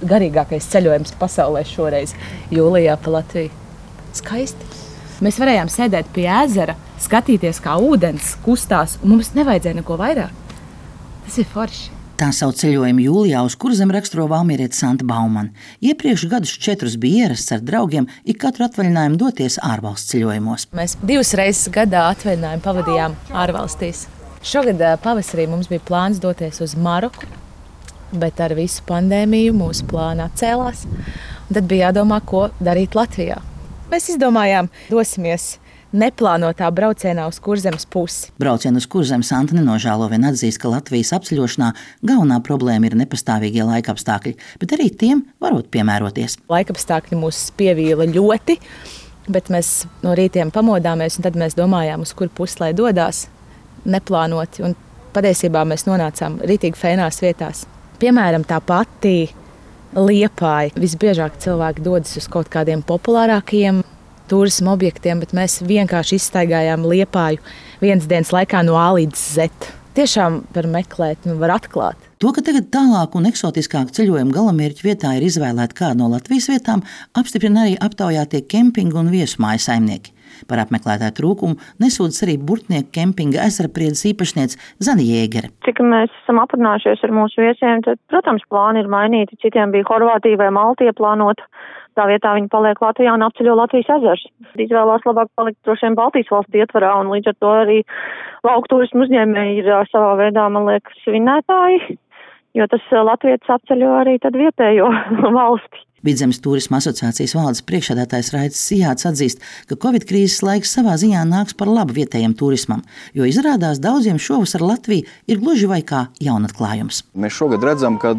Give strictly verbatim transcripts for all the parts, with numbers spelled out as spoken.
garīgākais ceļojums pasaulē šoreiz jūlijā pa Latviju. Skaisti. Mēs varējām sēdēt pie ezera, skatīties, kā ūdens kustās, un mums nevajadzēja neko vairāk. Tas ir forši. Tā savu ceļojumu jūlijā uz Kurzemi raksturo valmieriete Santa Baumane. Iepriekš gadus četrus bija ierasts ar draugiem ik katru atvaļinājumu doties ārvalstu ceļojumos. Mēs divas reizes gadā atvaļinājumu pavadījām ārvalstīs. Šogad pavasarī mums bija plāns doties uz Maroku, bet ar visu pandēmiju mūsu plāna atcēlās. Un tad bija jādomā, ko darīt Latvijā. Mēs izdomājām, dosimies neplānotā braucienā uz Kurzemes pusi. Braucienu uz Kurzemi Santa nenožēlo, vien atzīst, ka Latvijas apceļošanā galvenā problēma ir nepastāvīgie laikapstākļi, bet arī tiem varot piemēroties. Laikapstākļi mūs pievīla ļoti, bet mēs no rītiem pamodāmies, un tad mēs domājām, uz kur pusi lai dodās, neplānoti. Un patiesībā mēs nonācām ritīgi fēnās vietās. Piemēram, tā pati Liepāja. Visbiežāk cilvēki dodas uz kaut kādiem populārākajiem turisma objektiem, bet mēs vienkārši izstaigājām Liepāju vienas dienas laikā no A līdz Z. Tiešām var meklēt un var atklāt. To, ka tagad tālāk un eksotiskāk ceļojuma galamērķu vietā ir izvēlēta kāda no Latvijas vietām, apstiprina arī aptaujātie kempingu un viesmāju saimnieki. Par apmeklētāju trūkumu nesūdzas arī Burtnieku kempinga Ezerapriedes īpašniece Zana Jēgere. Cik mēs esam aprunājušies ar mūsu viesiem, tad, protams, plāni ir mainīti. Citiem bija Horvātija vai Malta ieplānota. Tā vietā viņi paliek Latvijā un apceļo Latvijas ezers. Izvēlās labāk palikt droši vien Baltijas valstu ietvarā, un līdz ar to arī lauku turismu uzņēmēji ir savā veidā, man liekas, svinētāji, jo tas latvietis apceļo arī tad vietējo valsti. Vidzemes turisma asociācijas valdes priekšsēdētājs Raicis Sijāts atzīst, ka Covid krīzes laiks savā ziņā nāks par labu vietējiem turismam, jo izrādās daudziem šovasar Latvija ir gluži vai kā jaunatklājums. Mēs šogad redzam, ka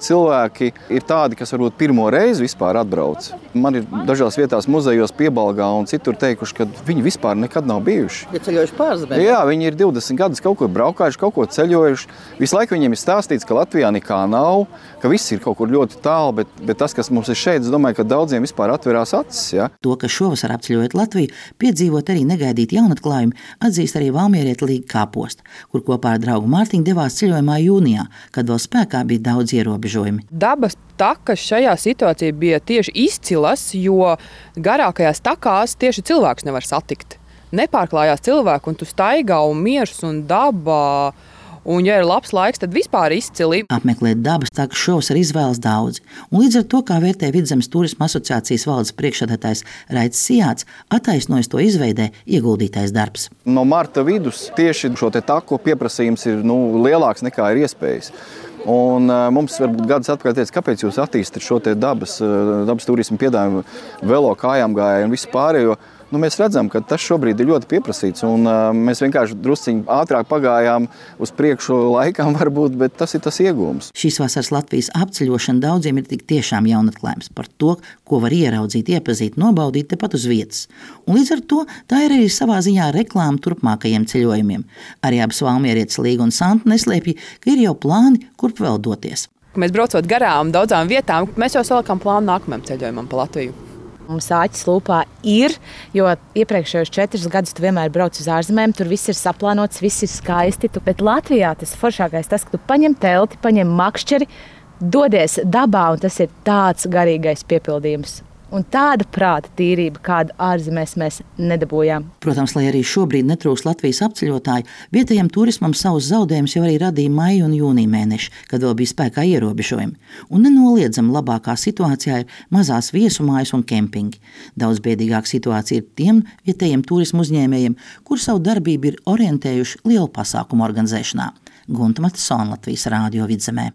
cilvēki ir tādi, kas varbūt pirmo reizi vispār atbrauc. Man ir dažās vietās muzejos Piebalgā un citur teikuši, ka viņi vispār nekad nav bijuši. Ja ceļojuši pārzemē? Jā, viņi ir divdesmit gadus kaut kur braukājuši, kaut ko ceļojuši. Visu laiku viņiem ir stāstīts, ka Latvijā nekā nav, ka viss ir kaut kur ļoti tālu, bet, bet tas, kas mums ir šeit, es domāju, ka daudziem vispār atverās acis. Ja? To, ka šovasar apceļojot Latviju, piedzīvot arī negaidīt jaunatklājumu, atzīst arī valmieriete Līga Kāposta, kur kopā ar draugu Mārtiņu devās ceļojumā jūnijā, kad vēl spēkā bija daudz ierobežojumi. Dabas takas šajā situācijā bija tieši izcilas, jo garākajās takās tieši cilvēks nevar satikt. Nepārklājās cilvēku, un tu staigā un miers un dabā. Un, ja ir labs laiks, tad vispār izcili. Apmeklēt dabas takas šovasar izvēlas daudzi. Un līdz ar to, kā vērtē Vidzemes turisma asociācijas valdes priekšsēdētājs Raicis Sijāts, attaisnojas to izveidē ieguldītais darbs. No marta vidus tieši šo te taku pieprasījums ir nu, lielāks nekā ir iespējas. Un uh, mums varbūt gadus atpakaļ teica, kāpēc jūs attīstat šo te dabas, uh, dabas turismu piedāvājumu, velo kājām gāju un visu pārējo. Nu, mēs redzam, ka tas šobrīd ir ļoti pieprasīts, un uh, mēs vienkārši drusciņi ātrāk pagājām uz priekšu laikam varbūt, bet tas ir tas iegūms. Šīs vasaras Latvijas apceļošana daudziem ir tik tiešām jaunatklājums par to, ko var ieraudzīt, iepazīt, nobaudīt tepat uz vietas. Un līdz ar to tā ir arī savā ziņā reklāma turpmākajiem ceļojumiem. Arī abas valmierietes Līga un Santa neslēpj, ka ir jau plāni, kurp vēl doties. Mēs braucot garām daudzām vietām, mēs jau salikām plānu nākamajam ceļojumam pa Latviju. Mums āķis lūpā ir, jo iepriekšējos četrus gadus tu vienmēr brauc uz ārzemēm, tur viss ir saplānots, viss ir skaisti. Tu, bet Latvijā tas foršākais tas, ka tu paņem telti, paņem makšķeri, dodies dabā, un tas ir tāds garīgais piepildījums. Un tāda prāta tīrība, kādu ārzemēs mēs nedabūjām. Protams, lai arī šobrīd netrūks Latvijas apceļotāju, vietējiem turismam savus zaudējumus jau arī radīja maija un jūnija mēneši, kad vēl bija spēkā ierobežojumi. Un nenoliedzami labākā situācijā ir mazās viesumājas un kempingi. Daudz biedīgāka situācija ir tiem vietējiem turismu uzņēmējiem, kur savu darbību ir orientējuši lielu pasākumu organizēšanā. Gunta Matisona, Latvijas Rādio Vidzemē.